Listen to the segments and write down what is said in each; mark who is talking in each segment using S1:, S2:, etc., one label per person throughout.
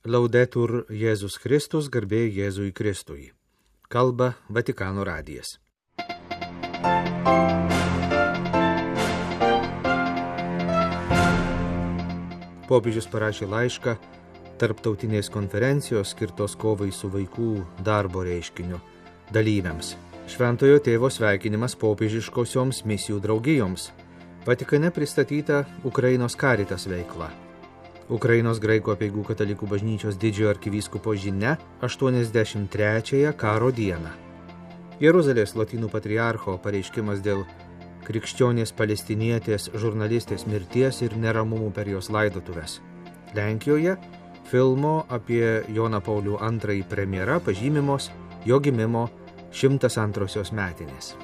S1: Laudetur Jėzus Kristus, garbė Jėzui Kristui. Kalba Vatikano radijas. Popiežius parašė laišką tarptautinės konferencijos skirtos kovai su vaikų darbo reiškiniu dalyviams. Šventojo tėvo sveikinimas popiežiškosioms misijų draugijoms. Vatikane pristatyta Ukrainos Caritas veikla. Ukrainos graikų apeigų katalikų bažnyčios didžiojo arkivyskupo žinia 83-ąją karo dieną. Jeruzalės lotynų patriarcho pareiškimas dėl krikščionės palestinietės žurnalistės mirties ir neramumų per jos laidotuves. Lenkijoje filmo apie Joną Paulių II premjera pažymimos jo gimimo 102-osios metinės.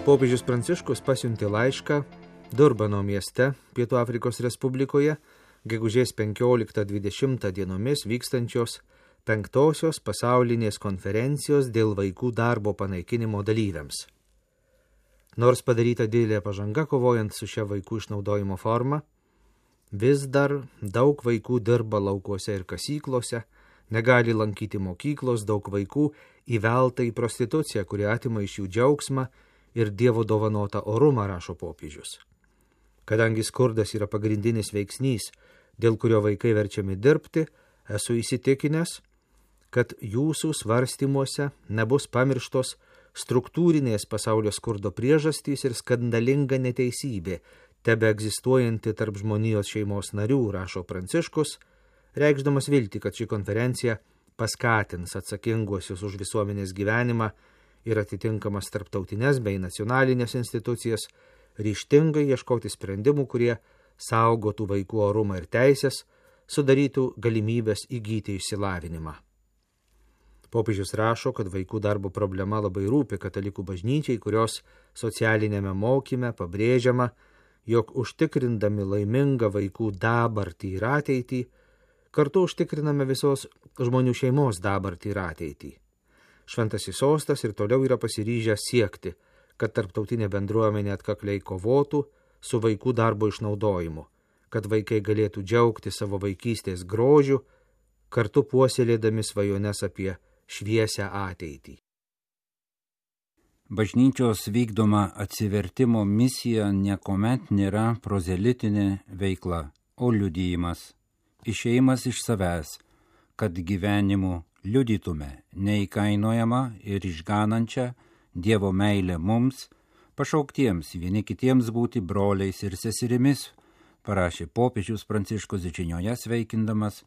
S1: Popiežius Pranciškus pasiuntė laišką Durbano mieste, Pietų Afrikos Respublikoje, gegužės 15-20 dienomis vykstančios 5-osios pasaulinės konferencijos dėl vaikų darbo panaikinimo dalyviams. Nors padaryta didelė pažanga kovojant su šia vaikų išnaudojimo forma, vis dar daug vaikų dirba laukuose ir kasyklose, negali lankyti mokyklos, daug vaikų įvelta į prostituciją, kuri atima iš jų džiaugsmą ir Dievo dovanotą orumą, rašo popiežius. Kadangi skurdas yra pagrindinis veiksnys, dėl kurio vaikai verčiami dirbti, esu įsitikinęs, kad jūsų svarstymuose nebus pamirštos struktūrinės pasaulio skurdo priežastys ir skandalinga neteisybė, tebe egzistuojanti tarp žmonijos šeimos narių, rašo Pranciškus, reikšdamas viltį, kad ši konferencija paskatins atsakinguosius už visuomenės gyvenimą ir atitinkamas tarptautinės bei nacionalinės institucijas ryžtingai ieškoti sprendimų, kurie saugotų vaikų orumą ir teisės, sudarytų galimybės įgyti išsilavinimą. Popiežius rašo, kad vaikų darbo problema labai rūpi katalikų bažnyčiai, kurios socialinėme mokyme pabrėžiama, jog užtikrindami laimingą vaikų dabartį ir ateitį, kartu užtikriname visos žmonių šeimos dabartį ir ateitį. Šventasis sostas ir toliau yra pasiryžęs siekti, kad tarptautinė bendruomenė atkakliai kovotų su vaikų darbo išnaudojimu, kad vaikai galėtų džiaugti savo vaikystės grožiu, kartu puoselėdami svajones apie šviesią ateitį.
S2: Bažnyčios vykdoma atsivertimo misija niekuomet nėra prozelitinė veikla, o liudijimas, išėjimas iš savęs, kad gyvenimu liudytume neįkainojamą ir išganančią Dievo meilę mums, pašauktiems vieni kitiems būti broliais ir seserimis, parašė popiežius Pranciškus žinioje sveikindamas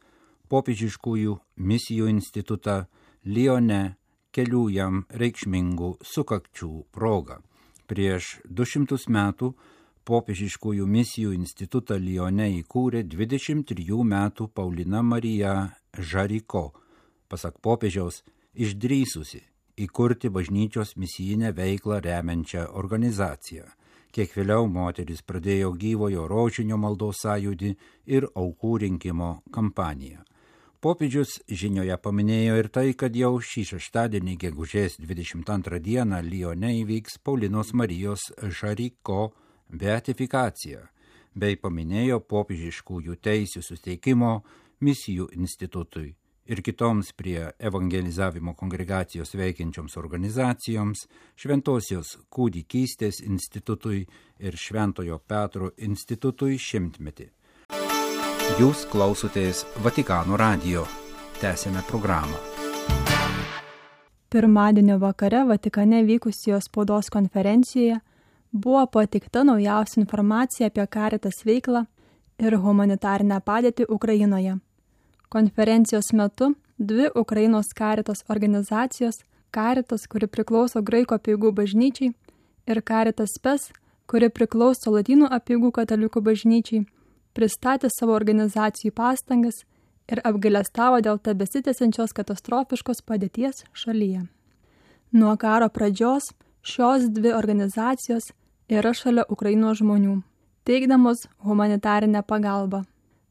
S2: popiežiškųjų misijų institutą Lione kelių jam reikšmingų sukakčių proga. Prieš 200 metų popiežiškųjų misijų institutą Lione įkūrė 23 metų Paulina Marija Žariko, pasak popiežiaus, išdrįsusi įkurti bažnyčios misijinę veiklą remiančią organizaciją. Kiek vėliau moteris pradėjo gyvojo rožinio maldos sąjūdį ir aukų rinkimo kampaniją. Popiežius žinioje paminėjo ir tai, kad jau šį šeštadienį gegužės 22 dieną Lione įvyks Paulinos Marijos Žariko beatifikacija, bei paminėjo popiežiškųjų teisių suteikimo misijų institutui ir kitoms prie evangelizavimo kongregacijos veikiančioms organizacijoms, Šventosios kūdikystės institutui ir Šventojo Petro institutui 100-metį. Jūs klausotės Vatikano radijo. Tęsėme programą.
S3: Pirmadienio vakare Vatikane vykusioje spaudos konferencijoje buvo pateikta naujausia informacija apie Caritas veiklą ir humanitarinę padėtį Ukrainoje. Konferencijos metu 2 Ukrainos Caritas organizacijos, Caritas, kuri priklauso Graikų apeigų bažnyčiai, ir Caritas Spes, kuri priklauso Lotynų apeigų katalikų bažnyčiai, pristatė savo organizacijų pastangas ir apgailestavo dėl tebesitęsiančios katastrofiškos padėties šalyje. Nuo karo pradžios šios 2 organizacijos yra šalia Ukrainos žmonių, teikdamos humanitarinę pagalbą.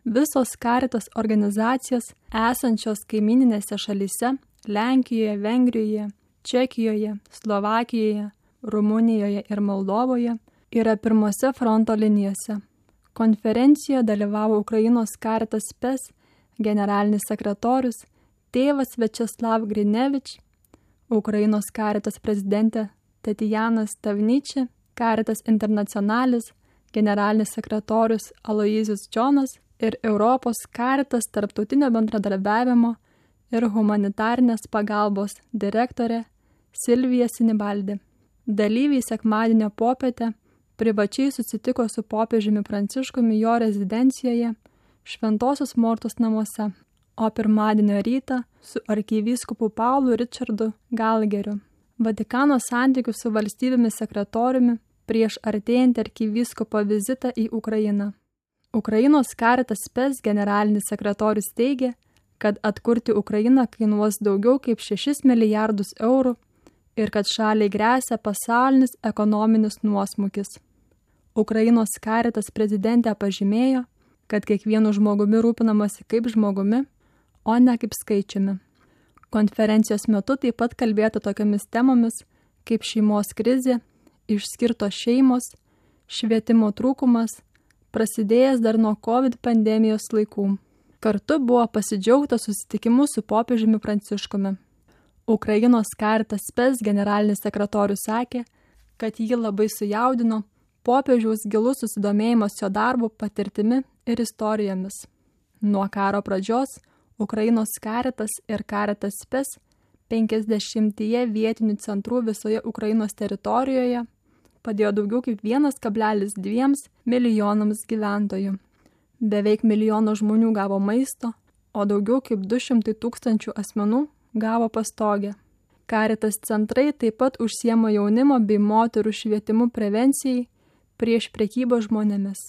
S3: Visos Caritas organizacijos esančios kaimininėse šalyse Lenkijoje, Vengrijoje, Čekijoje, Slovakijoje, Rumunijoje ir Moldovoje yra pirmose fronto linijose, Konferencijoje dalyvavo Ukrainos Caritas Spes generalinis sekretorius tėvas Večeslav Grinevič, Ukrainos Caritas prezidentė Tatjana Stavniči, Caritas Internacionalis generalinis sekretorius Aloyzijus Džonas ir Europos Caritas tarptautinio bendradarbiavimo ir humanitarinės pagalbos direktorė Silvija Sinibaldi. Dalyviai sekmadienio popietę privačiai susitiko su popiežiumi Pranciškumi jo rezidencijoje Šventosios Mortos namuose, o pirmadienio rytą su arkivyskupu Paulu Richardu Galgeriu. Vatikano santykių su valstybėmis sekretoriumi prieš artėjantį arkivyskupo vizitą į Ukrainą. Ukrainos Caritas Spes generalinis sekretorius teigė, kad atkurti Ukrainą kainuos daugiau kaip 6 milijardus eurų ir kad šaliai gresia pasaulinis ekonominis nuosmukis. Ukrainos Caritas prezidentė pažymėjo, kad kiekvienu žmogumi rūpinamasi kaip žmogumi, o ne kaip skaičiumi. Konferencijos metu taip pat kalbėta tokiamis temomis kaip šeimos krizė, išskirtos šeimos, švietimo trūkumas, prasidėjęs dar nuo COVID pandemijos laikų. Kartu buvo pasidžiaugta susitikimu su popiežiumi Pranciškumi. Ukrainos Caritas Spes generalinis sekretorius sakė, kad jį labai sujaudino popiežiaus gilus susidomėjimas jo darbu, patirtimi ir istorijomis. Nuo karo pradžios Ukrainos Caritas ir Caritas Spes 50 vietinių centrų visoje Ukrainos teritorijoje padėjo daugiau kaip 1,2 milijonams gyventojų. Beveik 1 milijono žmonių gavo maisto, o daugiau kaip 200 tūkstančių asmenų gavo pastogę. Caritas centrai taip pat užsiema jaunimo bei moterų švietimu prevencijai prieš prekybą žmonėmis.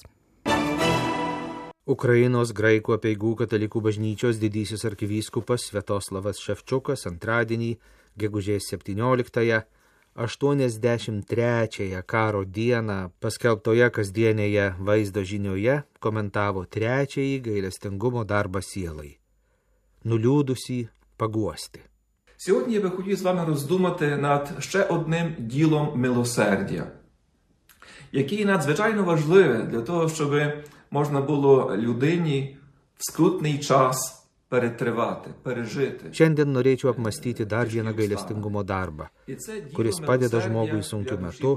S1: Ukrainos graikų apeigų katalikų bažnyčios didysis arkivyskupas Sviatoslavas Ševčiukas antradienį, gegužės 17-ąją, 83-ąją karo dieną paskelbtoje kasdienėje vaizdo žinioje komentavo 3-ąjį gailestingumo darbą sielai. Nuliūdusį paguosti.
S4: Сьогодні я би хотів з вами роздумати над ще одним ділом милосердя, який надзвичайно важливе для того, щоб можна було людині в скрутний час перетривати, пережити.
S1: Šiandien norėčiau apmastyti dar vieną gailestingumo darbą, kuris padeda žmogui sunkiu metu,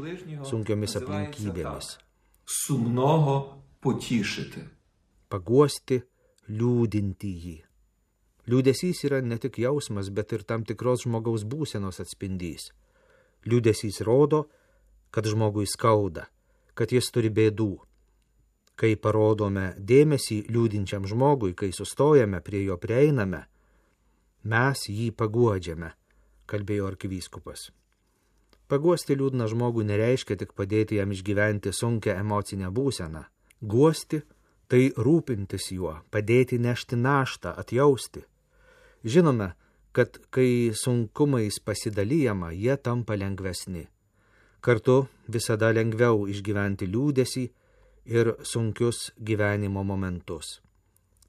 S1: sunkiomis aplinkybėmis.
S4: Сумного потішити.
S1: Paguosti, liūdinti jį. Liūdesys yra ne tik jausmas, bet ir tam tikros žmogaus būsenos atspindys. Liūdesys rodo, kad žmogui skauda, kad jis turi bėdų. Kai parodome dėmesį liūdinčiam žmogui, kai sustojame prie jo prieiname, mes jį paguodžiame, kalbėjo arkivyskupas. Paguosti liūdną žmogų nereiškia tik padėti jam išgyventi sunkią emocinę būseną. Guosti – tai rūpintis juo, padėti nešti naštą, atjausti. Žinome, kad kai sunkumais pasidalijama, jie tampa lengvesni. Kartu visada lengviau išgyventi liūdesį ir sunkius gyvenimo momentus.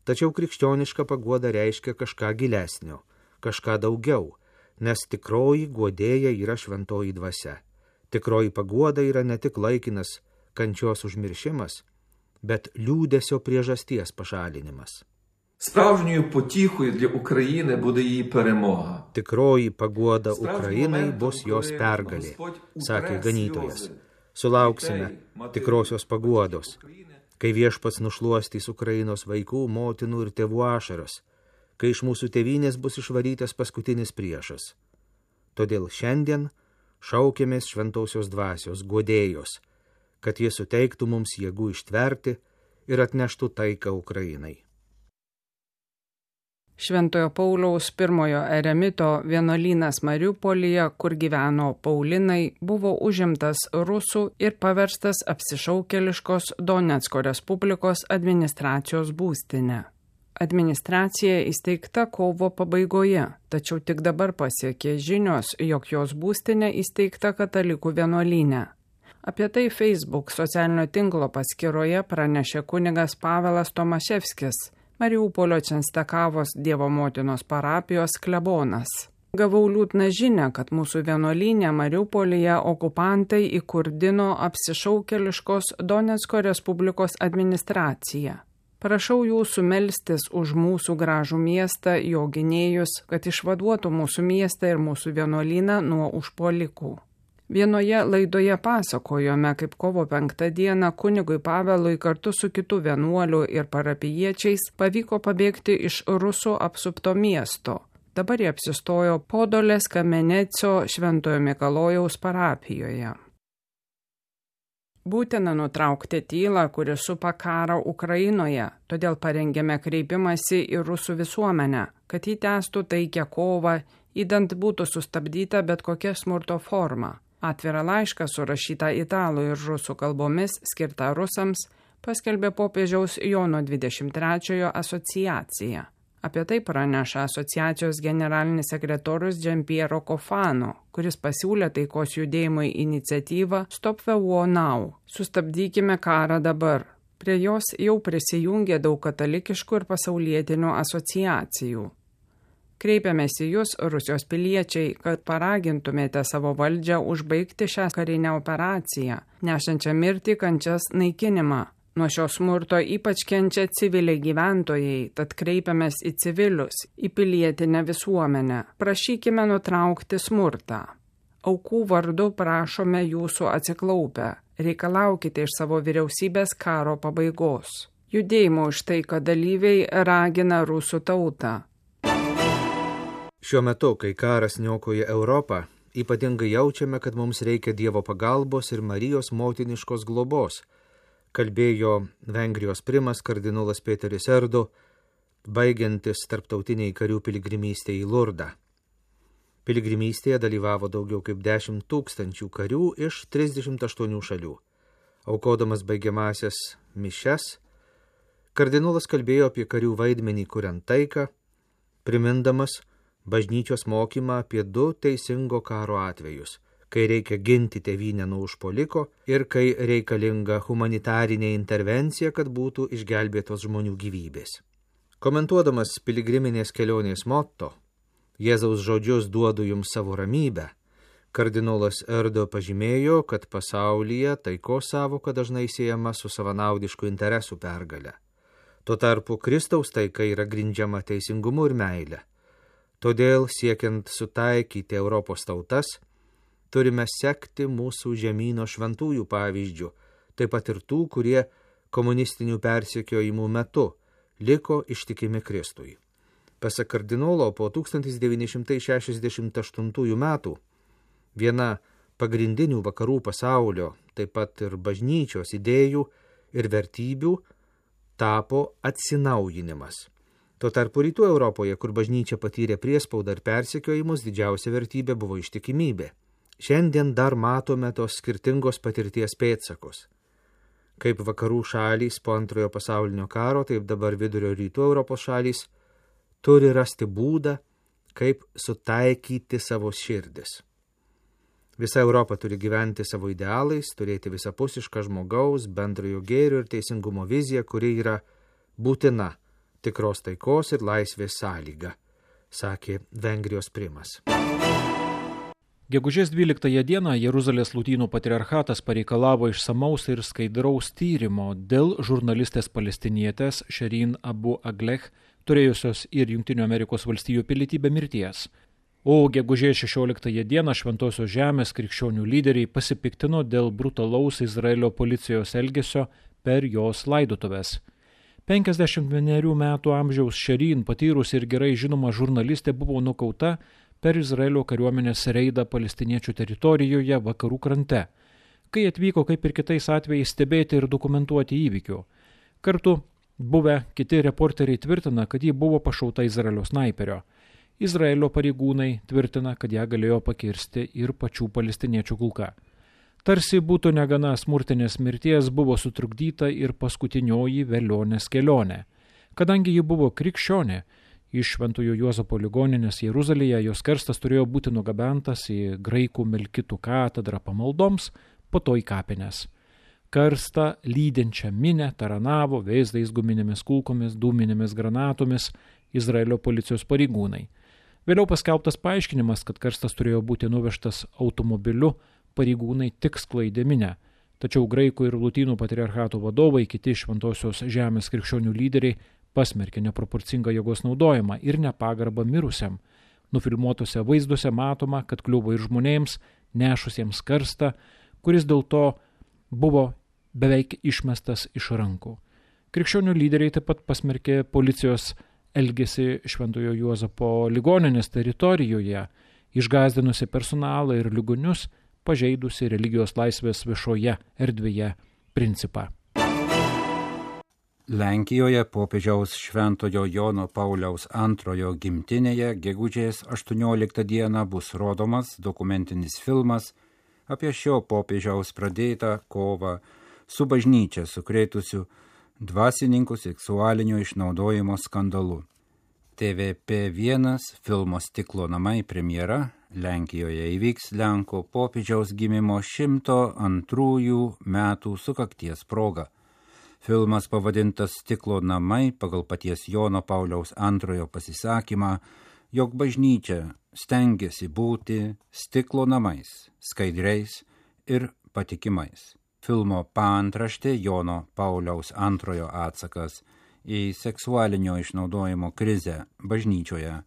S1: Tačiau krikščioniška paguoda reiškia kažką gilesnio, kažką daugiau, nes tikroji guodėja yra šventoji dvasia. Tikroji paguoda yra ne tik laikinas kančios užmiršimas, bet liūdesio priežasties pašalinimas.
S4: Справжньою потіхою для України буде її перемога.
S1: Tikroji paguoda Ukrainai bus jos pergalė, sakė ganytojas. Sulauksime tikrosios paguodos, kai Viešpats nušluostys Ukrainos vaikų, motinų ir tėvų ašaras, kai iš mūsų tėvynės bus išvarytas paskutinis priešas. Todėl šiandien šaukėmės šventosios dvasios, guodėjos, kad jie suteiktų mums jėgų ištverti ir atneštų taiką Ukrainai.
S5: Šventojo Pauliaus I eremito vienuolynas Mariupolyje, kur gyveno Paulinai, buvo užimtas rusų ir paverstas apsišaukėliškos Donecko Respublikos administracijos būstinė. Administracija įsteigta kovo pabaigoje, tačiau tik dabar pasiekė žinios, jog jos būstinė įsteigta katalikų vienuolyne. Apie tai Facebook socialinio tinklo paskyroje pranešė kunigas Pavelas Tomaševskis, Mariupolio Čenstakavos Dievo motinos parapijos klebonas. Gavau liūdną žinią, kad mūsų vienuolynę Mariupolyje okupantai įkurdino apsišaukėliškos Donecko Respublikos administraciją. Prašau jūsų melstis už mūsų gražų miestą, jo gynėjus, kad išvaduotų mūsų miestą ir mūsų vienuolyną nuo užpuolikų. Vienoje laidoje pasakojome, kaip kovo 5 dieną kunigui Pavelui kartu su kitų vienuolių ir parapijiečiais pavyko pabėgti iš rusų apsupto miesto. Dabar jie apsistojo Podolės Kameneco Šventojo Mikalojaus parapijoje. Būtina nutraukti tylą, kuri supa karą Ukrainoje, todėl parengėme kreipimąsi į rusų visuomenę, kad jį tęstų taikią kovą, idant būtų sustabdyta bet kokia smurto forma. Atvirą laišką surašytą italų ir rusų kalbomis skirtą rusams paskelbė popiežiaus Jono 23 asociacija. Apie tai praneša asociacijos generalinis sekretorius Giampiero Cofano, kuris pasiūlė taikos judėjimui iniciatyvą Stop the War Now – sustabdykime karą dabar. Prie jos jau prisijungė daug katalikiškų ir pasaulietinių asociacijų. Kreipiamės į jūs, Rusijos piliečiai, kad paragintumėte savo valdžią užbaigti šią karinę operaciją, nešančią mirtį, kančias, naikinimą. Nuo šio smurto ypač kenčia civiliai gyventojai, tad kreipiamės į civilius, į pilietinę visuomenę. Prašykime nutraukti smurtą. Aukų vardu prašome jūsų atsiklaupę. Reikalaukite iš savo vyriausybės karo pabaigos. Judėjimo už taiką dalyviai ragina rusų tautą.
S1: Šiuo metu, kai karas niokoja Europą, ypatingai jaučiame, kad mums reikia Dievo pagalbos ir Marijos motiniškos globos, kalbėjo Vengrijos primas kardinolas Peteris Erdo, baigiantis tarptautiniai karių piligrimystė į Lurdą. Piligrimystėje dalyvavo daugiau kaip 10 000 karių iš 38 šalių. Aukodamas baigiamasias mišias, kardinolas kalbėjo apie karių vaidmenį kuriant taiką, primindamas bažnyčios mokymą apie 2 teisingo karo atvejus, kai reikia ginti tėvynę nuo užpuoliko ir kai reikalinga humanitarinė intervencija, kad būtų išgelbėtos žmonių gyvybės. Komentuodamas piligriminės kelionės motto, Jėzaus žodžius duodu jums savo ramybę, kardinolas Erdo pažymėjo, kad pasaulyje taikos savoka dažnai siejama su savanaudiškų interesų pergale. Tuo tarpu Kristaus taika yra grindžiama teisingumu ir meile. Todėl, siekiant sutaikyti Europos tautas, turime sekti mūsų žemyno šventųjų pavyzdžių, taip pat ir tų, kurie komunistinių persekiojimų metu liko ištikimi Kristui. Pasak kardinolo, po 1968 metų viena pagrindinių vakarų pasaulio, taip pat ir bažnyčios idėjų ir vertybių tapo atsinaujinimas. Tuo tarpu rytų Europoje, kur bažnyčia patyrė priespaudą ir persekiojimus, didžiausia vertybė buvo ištikimybė. Šiandien dar matome tos skirtingos patirties pėdsakus. Kaip vakarų šalys po antrojo pasaulinio karo, taip dabar vidurio rytų Europos šalys turi rasti būdą, kaip sutaikyti savo širdis. Visa Europa turi gyventi savo idealais, turėti visapusišką žmogaus, bendrojo gėrio ir teisingumo viziją, kuri yra būtina tikros taikos ir laisvės sąlyga, sakė Vengrijos primas.
S6: Gegužės 12 dieną Jeruzalės Lotynų patriarchatas pareikalavo išsamaus ir skaidraus tyrimo dėl žurnalistės palestinietės Shireen Abu Akleh, turėjusios ir Jungtinių Amerikos valstijų pilietybę mirties. O gegužės 16 dieną Šventosios žemės krikščionių lyderiai pasipiktino dėl brutalaus Izraelio policijos elgesio per jos laidotuves. 51 metų amžiaus Shireen, patyrusi ir gerai žinoma žurnalistė, buvo nukauta per Izraelio kariuomenės reidą palestiniečių teritorijoje vakarų krante, kai atvyko kaip ir kitais atvejais stebėti ir dokumentuoti įvykių. Kartu buvę kiti reporteriai tvirtina, kad ji buvo pašauta Izraelio snaiperio. Izraelio pareigūnai tvirtina, kad ją galėjo pakirsti ir pačių palestiniečių kulka. Tarsi būtų negana smurtinės mirties, buvo sutrukdyta ir paskutinioji velionės kelionė. Kadangi ji buvo krikščionė, iš Šventojo Juozapo ligoninės Jeruzalėje jos karstas turėjo būti nugabentas į graikų melkitų katedrą pamaldoms, po to į kapines. Karstą lydinčią minę taranavo vėzdais guminėmis kulkomis, dūminėmis granatomis Izraelio policijos pareigūnai. Vėliau paskelbtas paaiškinimas, kad karstas turėjo būti nuvežtas automobiliu, pareigūnai tik sklaidė minę. Tačiau graikų ir lotynų patriarchato vadovai, kiti šventosios žemės krikščionių lyderiai pasmerkė neproporcingą jėgos naudojimą ir nepagarbą mirusiam. Nufilmuotose vaizduose matoma, kad kliuvo ir žmonėms, nešusiems karstą, kuris dėl to buvo beveik išmestas iš rankų. Krikščionių lyderiai taip pat pasmerkė policijos elgėsi Šventojo Juozapo ligoninės teritorijoje, išgąsdinusi personalą ir ligonius, pažeidusi religijos laisvės viešoje erdvėje principą.
S2: Lenkijoje popiežiaus Šventojo Jono Pauliaus II gimtinėje gegužės 18 dieną bus rodomas dokumentinis filmas apie šio popiežiaus pradėtą kovą su bažnyčia sukrėtusiu dvasininkų seksualinio išnaudojimo skandalu. TVP1 filmo Stiklo namai premjera Lenkijoje įvyks Lenkų popiežiaus gimimo 102 metų sukakties proga. Filmas pavadintas Stiklo namai pagal paties Jono Pauliaus II pasisakymą, jog bažnyčia stengiasi būti stiklo namais, skaidriais ir patikimais. Filmo paantraštė Jono Pauliaus II atsakas į seksualinio išnaudojimo krizę bažnyčioje.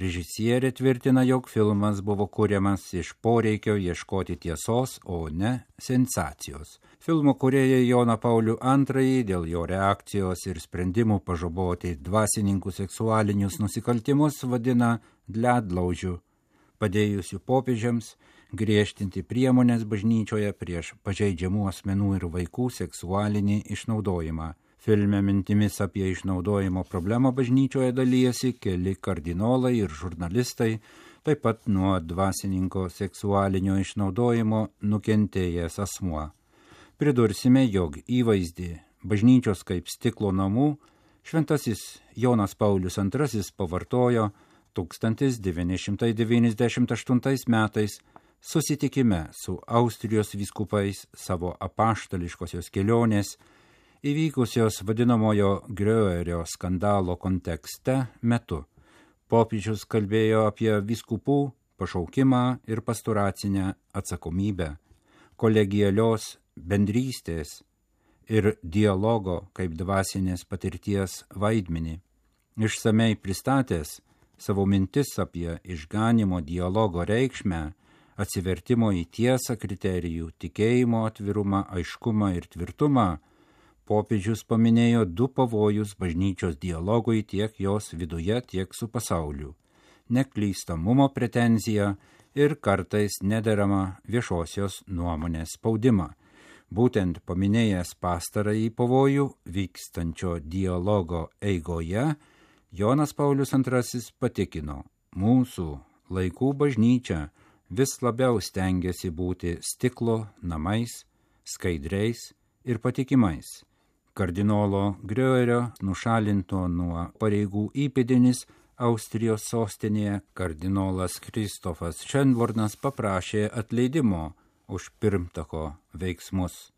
S2: Režisierė tvirtina, jog filmas buvo kuriamas iš poreikio ieškoti tiesos, o ne sensacijos. Filmo kūrėjai Joną Paulių II dėl jo reakcijos ir sprendimų pažaboti dvasininkų seksualinius nusikaltimus vadina ledlaužiu, padėjusiu popiežiams griežtinti priemonės bažnyčioje prieš pažeidžiamų asmenų ir vaikų seksualinį išnaudojimą. Filme mintimis apie išnaudojimo problemą bažnyčioje dalyjasi keli kardinolai ir žurnalistai, taip pat nuo dvasininko seksualinio išnaudojimo nukentėjęs asmuo. Pridursime, jog įvaizdį bažnyčios kaip stiklo namų šventasis Jonas Paulius II pavartojo 1998 metais susitikime su Austrijos vyskupais savo apaštališkosios kelionės įvykusios vadinamojo Gröerio skandalo kontekste metu. Popiežius kalbėjo apie vyskupų pašaukimą ir pastoracinę atsakomybę, kolegialios bendrystės ir dialogo kaip dvasinės patirties vaidmenį. Išsamei pristatęs savo mintis apie išganimo dialogo reikšmę, atsivertimo į tiesą kriterijų, tikėjimo atvirumą, aiškumą ir tvirtumą, popiežius paminėjo du pavojus bažnyčios dialogui tiek jos viduje, tiek su pasauliu – neklystamumo pretenziją ir kartais nederamą viešosios nuomonės spaudimą. Būtent paminėjęs pastarąjį pavojų vykstančio dialogo eigoje, Jonas Paulius II patikino, mūsų laikų bažnyčia vis labiau stengiasi būti stiklo namais, skaidriais ir patikimais. Kardinolo Gröerio nušalinto nuo pareigų įpėdinis Austrijos sostinėje kardinolas Kristofas Šenvornas paprašė atleidimo už pirmtako veiksmus.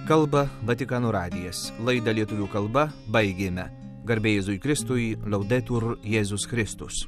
S1: Kalba Vatikano radijas. Laidą lietuvių kalba baigėme. Garbė Jėzui Kristui, Laudetur Jėzus Kristus.